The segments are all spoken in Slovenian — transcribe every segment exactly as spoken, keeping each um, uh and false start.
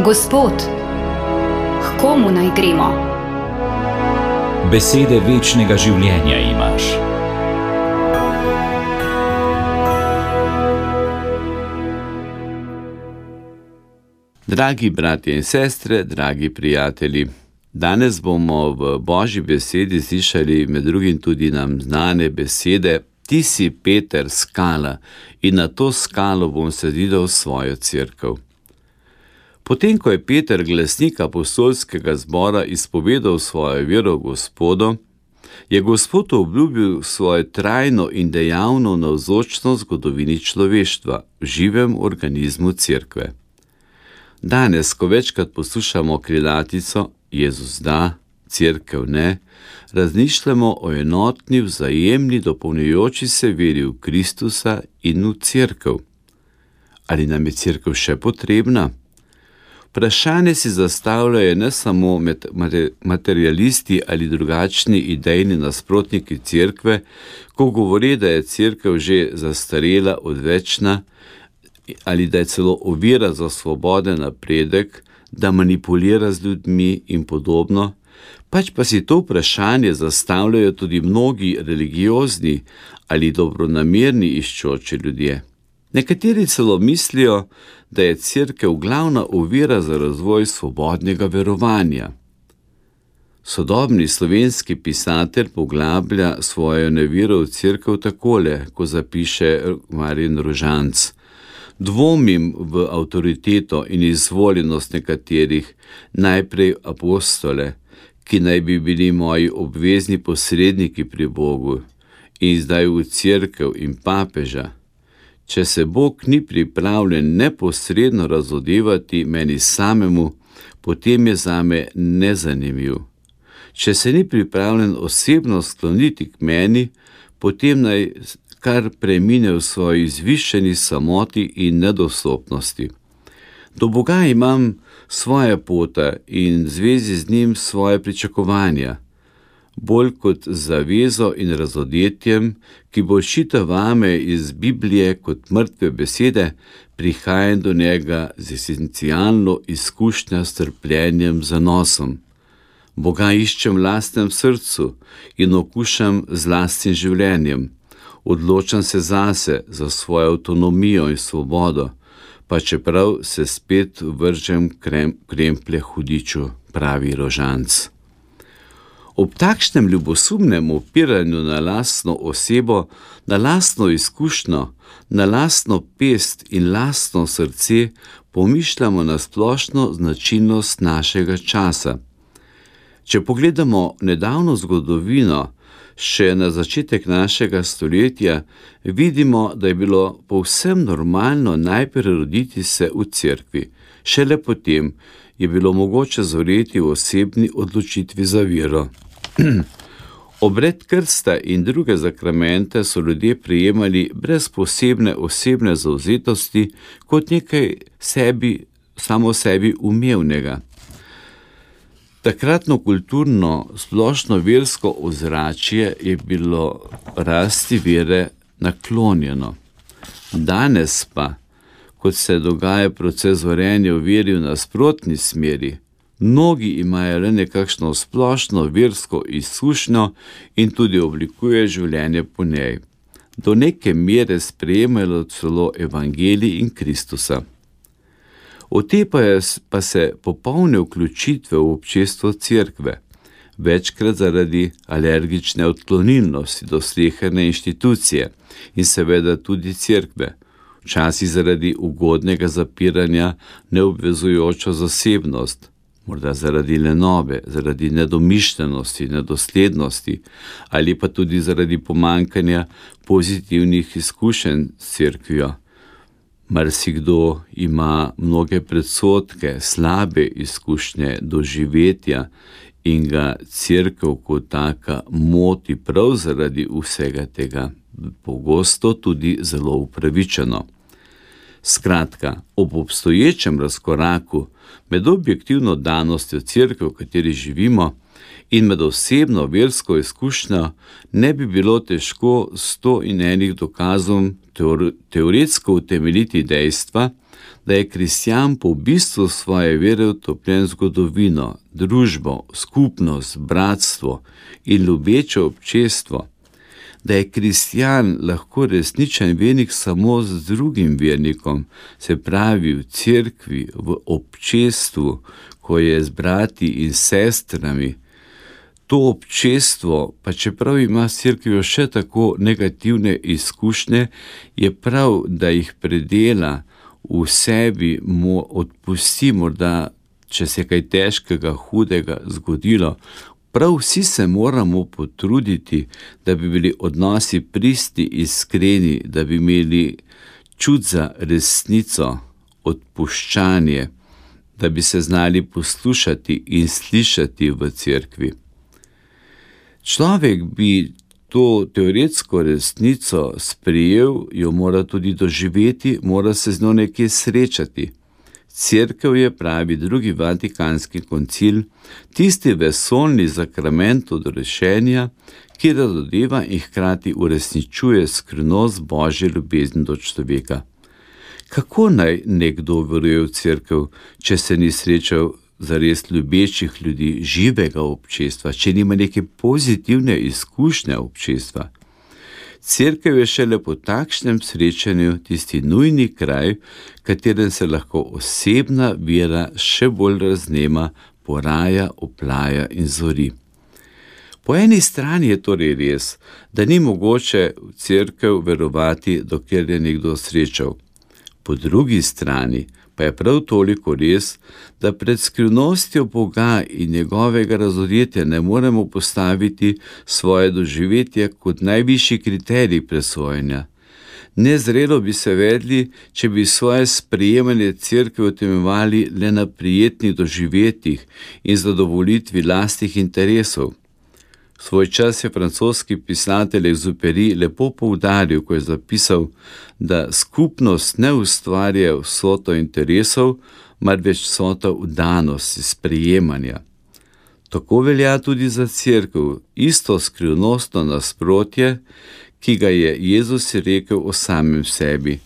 Gospod, k komu naj gremo? Besede večnega življenja imaš. Dragi bratje in sestre, dragi prijatelji, danes bomo v Božji besedi slišali med drugim tudi nam znane besede: Ti si Peter, skala, in na to skalo bom zidal svojo cerkev. Potem, ko je Peter, glasnik apostolskega zbora, izpovedal svojo vero v Gospodu, je Gospod obljubil svojo trajno in dejavno navzočnost v zgodovini človeštva, v živem organizmu cerkve. Danes, ko večkrat poslušamo krilatico Jezus da, cerkev ne, razmišljamo o enotni, vzajemni, dopolnjujoči se veri v Kristusa in v cerkev. Ali nam je cerkev še potrebna? Vprašanje si zastavljajo ne samo materialisti ali drugačni idejni nasprotniki cerkve, ko govori, da je cerkev že zastarela, odvečna, ali da je celo ovira za svoboden napredek, da manipulira z ljudmi in podobno, pač pa si to vprašanje zastavljajo tudi mnogi religiozni ali dobronamerni iščoči ljudje. Nekateri celo mislijo, da je cerkev glavna ovira za razvoj svobodnega verovanja. Sodobni slovenski pisatelj poglablja svojo nevero v cerkev takole, ko zapiše Marjan Rožanc: Dvomim v avtoriteto in izvoljenost nekaterih, najprej apostole, ki naj bi bili moji obvezni posredniki pri Bogu, in zdaj v cerkev in papeža. Če se Bog ni pripravljen neposredno razodevati meni samemu, potem je zame nezanimiv. Če se ni pripravljen osebno skloniti k meni, potem naj kar premine v svoji izvišeni samoti in nedostopnosti. Do Boga imam svoje pota in v zvezi z njim svoje pričakovanja, bolj kot zavezo in razodetjem, ki bo šita vame iz Biblije kot mrtve besede, prihajam do njega z esencialno izkušnjo s trpljenjem, zanosom. Boga iščem v lastnem srcu in okušam z lastnim življenjem. Odločam se zase, za svojo avtonomijo in svobodo, pa čeprav se spet vržem krem, kremplje hudiču, pravi Rožanc. Ob takšnem ljubosumnem opiranju na lastno osebo, na lastno izkušnjo, na lastno pest in lastno srce pomišljamo na splošno značilnost našega časa. Če pogledamo nedavno zgodovino, še na začetek našega stoletja, vidimo, da je bilo povsem normalno najprej roditi se v cerkvi, šele potem je bilo mogoče zoreti v osebni odločitvi za vero. Obred krsta in druge zakramente so ljudje prejemali brez posebne osebne zavzetosti kot nekaj sebi, samo sebi umevnega. Takratno kulturno, splošno versko ozračje je bilo rasti vere naklonjeno. Danes pa, kot se dogaja proces zorenja v veri v nasprotni smeri, mnogi imajo le nekakšno splošno versko izkušnjo in tudi oblikuje življenje po njej. Do neke mere sprejemajo celo evangelij in Kristusa. Otepajo pa se popolne vključitve v občestvo cerkve, večkrat zaradi alergične odklonilnosti do sleherne inštitucije in seveda tudi cerkve, včasih zaradi ugodnega zapiranja neobvezujočo zasebnost, morda zaradi lenobe, zaradi nedomišljenosti, nedoslednosti ali pa tudi zaradi pomanjkanja pozitivnih izkušenj s cerkvijo. Marsikdo ima mnoge predsodke, slabe izkušnje doživetja in ga cerkev kot taka moti prav zaradi vsega tega, pogosto tudi zelo upravičeno. Skratka, ob obstoječem razkoraku med objektivno danostjo cerkve, v kateri živimo, In med osebno versko izkušnjo ne bi bilo težko sto in enih dokazom teoretsko utemeljiti dejstva, da je kristjan po bistvu svoje vere utopljen v zgodovino, družbo, skupnost, bratstvo in ljubeče občestvo, da je kristjan lahko resničen vernik samo z drugim vernikom, se pravi v cerkvi, v občestvu, ko je z brati in sestrami. To občestvo, pa čeprav ima s cerkvijo še tako negativne izkušnje, je prav, da jih predela, v sebi mu odpusti, morda, če se kaj težkega, hudega zgodilo. Prav vsi se moramo potruditi, da bi bili odnosi pristni, iskreni, da bi imeli čut za resnico, odpuščanje, da bi se znali poslušati in slišati v cerkvi. Človek bi to teoretsko resnico sprejel, jo mora tudi doživeti, mora se z njo nekje srečati. Cerkev je, pravi drugi vatikanski koncil, tisti vesoljni sakrament odrešenja, ki razodeva in hkrati uresničuje skrivnost Božje ljubezni do človeka. Kako naj nekdo veruje v cerkev, če se ni srečal zares ljubečih ljudi, živega občestva, če nima neke pozitivne izkušnje občestva? Cerkev je šele po takšnem srečanju tisti nujni kraj, v katerem se lahko osebna vera še bolj raznema, poraja, oplaja in zori. Po eni strani je torej res, da ni mogoče v cerkev verovati, dokler je nekdo srečal. Po drugi strani pa je prav toliko res, da pred skrivnostjo Boga in njegovega razodetja ne moremo postaviti svoje doživetje kot najvišji kriterij presojanja. Nezrelo bi se vedli, če bi svoje sprejemanje cerkve utemeljevali le na prijetnih doživetjih in zadovoljitvi lastnih interesov. Svoj čas je francoski pisatelj Exupéry lepo poudaril, ko je zapisal, da skupnost ne ustvarja vsoto interesov, marveč vsoto vdanosti, sprejemanja. Tako velja tudi za cerkev, isto skrivnostno nasprotje, ki ga je Jezus rekel o samem sebi.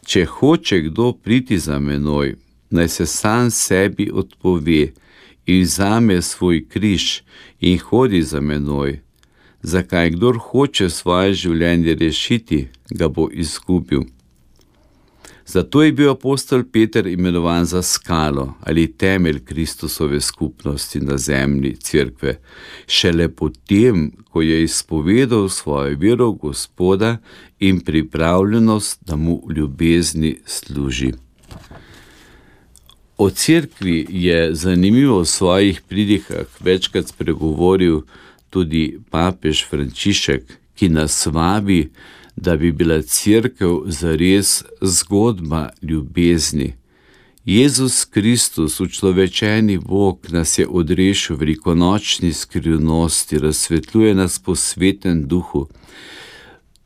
Če hoče kdo priti za menoj, naj se sam sebi odpove in vzame svoj križ in hodi za menoj. Zakaj kdor hoče svoje življenje rešiti, ga bo izgubil. Zato je bil apostol Peter imenovan za skalo ali temelj Kristusove skupnosti na zemlji cerkve, šele potem, ko je izpovedal svojo vero v Gospoda in pripravljenost, da mu v ljubezni služi. O cerkvi je zanimivo v svojih pridihah večkrat spregovoril tudi papež Frančišek, ki nas vabi, da bi bila cerkev zares zgodba ljubezni. Jezus Kristus, učlovečeni Bog, nas je odrešil v velikonočni skrivnosti, razsvetljuje nas po svetem duhu.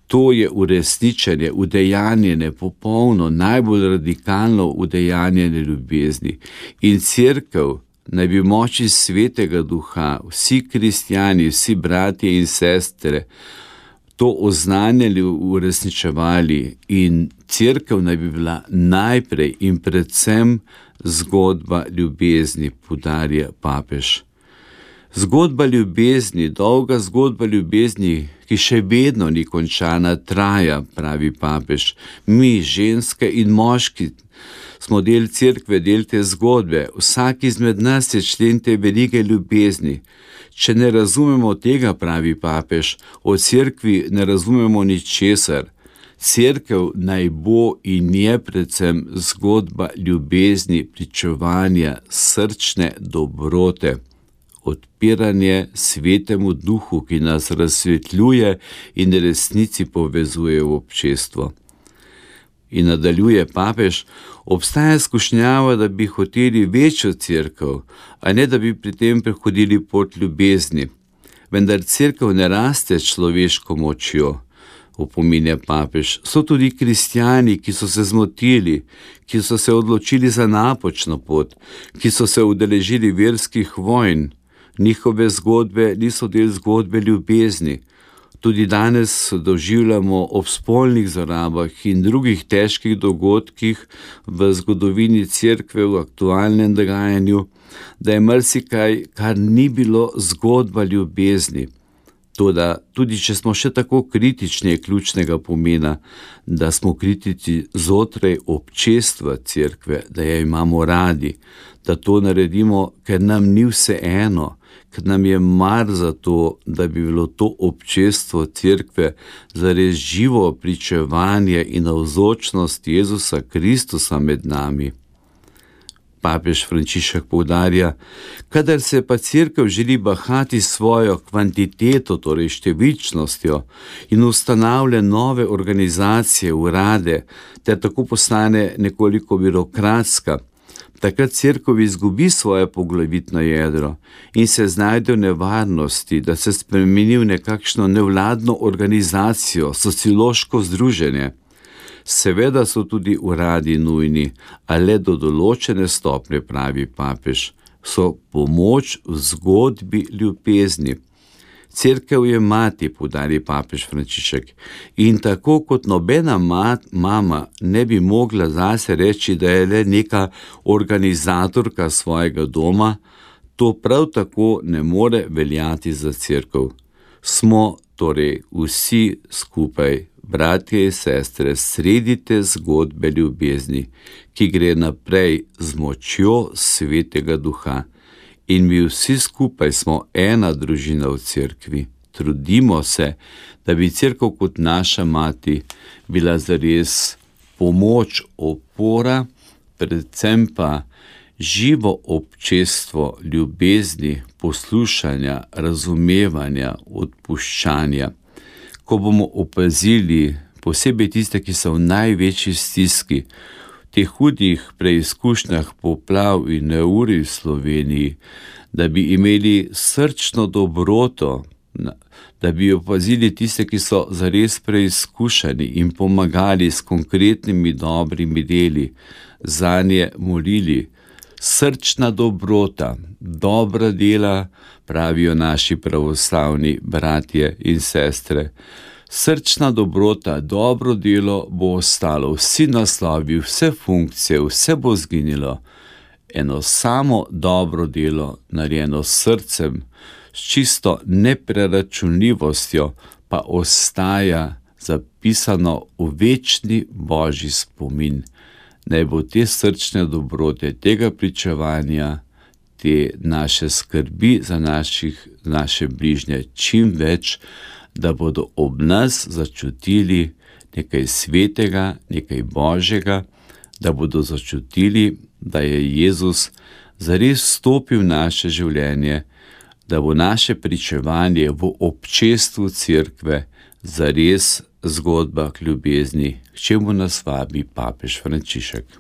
To je uresničenje, udejanjene, popolno, najbolj radikalno udejanjene ljubezni. In cerkev naj bi moči svetega duha, vsi kristjani, vsi bratje in sestre, to oznanjali, uresničevali in cerkev naj bi bila najprej in predvsem zgodba ljubezni, poudarja papež. Zgodba ljubezni, dolga zgodba ljubezni, ki še vedno ni končana, traja, pravi papež. Mi, ženske in moški, smo del cerkve, del te zgodbe. Vsak izmed nas je člen te velike ljubezni. Če ne razumemo tega, pravi papež, o cerkvi ne razumemo ničesar. Cerkev naj bo in je predvsem zgodba ljubezni, pričevanja, srčne dobrote, odpiranje svetemu duhu, ki nas razsvetljuje in resnici povezuje v občestvo. In nadaljuje papež, obstaja skušnjava, da bi hoteli večjo cerkev, a ne da bi pri tem prehodili pot ljubezni. Vendar cerkev ne raste človeško močjo, opominja papež. So tudi kristjani, ki so se zmotili, ki so se odločili za napačno pot, ki so se udeležili verskih vojn. Njihove zgodbe niso del zgodbe ljubezni. Tudi danes doživljamo ob spolnih zlorabah in drugih težkih dogodkih v zgodovini Cerkve, v aktualnem dogajanju, da je marsikaj, kar ni bilo zgodba ljubezni. Toda tudi če smo še tako kritični, je ključnega pomena, da smo kritični znotraj občestva Cerkve, da jo imamo radi, da to naredimo, ker nam ni vseeno, ker nam je mar za to, da bi bilo to občestvo Cerkve zares živo pričevanje in navzočnost Jezusa Kristusa med nami. Papež Frančišek poudarja, kadar se pa Cerkev želi bahati svojo kvantiteto, torej številčnostjo, in ustanavlja nove organizacije, urade, ter tako postane nekoliko birokratska, takrat Cerkev izgubi svoje poglavitno jedro in se znajde v nevarnosti, da se spremeni v nekakšno nevladno organizacijo, sociološko združenje. Seveda so tudi uradi nujni, a le do določene stopnje, pravi papež, so pomoč v zgodbi ljubezni. Cerkev je mati, poudari papež Frančišek, in tako kot nobena mat, mama ne bi mogla zase reči, da je le neka organizatorka svojega doma, to prav tako ne more veljati za Cerkev. Smo torej vsi skupaj, bratje in sestre, sredi te zgodbe ljubezni, ki gre naprej z močjo Svetega Duha. In mi vsi skupaj smo ena družina v Cerkvi. Trudimo se, da bi Cerkev kot naša mati bila zares pomoč, opora, predvsem pa živo občestvo ljubezni, poslušanja, razumevanja, odpuščanja. Ko bomo opazili, posebej tiste, ki so v največji stiski, v teh hudih preizkušnjah poplav in neurij v Sloveniji, da bi imeli srčno dobroto, da bi opazili tiste, ki so zares preizkušani in pomagali s konkretnimi dobrimi deli, zanje molili. Srčna dobrota, dobra dela, pravijo naši pravoslavni bratje in sestre. Srčna dobrota, dobro delo bo ostalo, vsi naslovi, vse funkcije, vse bo zginilo. Eno samo dobro delo, narejeno s srcem, s čisto nepreračunljivostjo, pa ostaja zapisano v večni Božji spomin. Naj bo te srčne dobrote, tega pričevanja, te naše skrbi za naših, naše bližnje čim več, da bodo ob nas začutili nekaj svetega, nekaj Božjega, da bodo začutili, da je Jezus zares vstopil v naše življenje, da bo naše pričevanje v občestvu Cerkve zares zgodba k ljubezni, k čemu nas vabi papež Frančišek.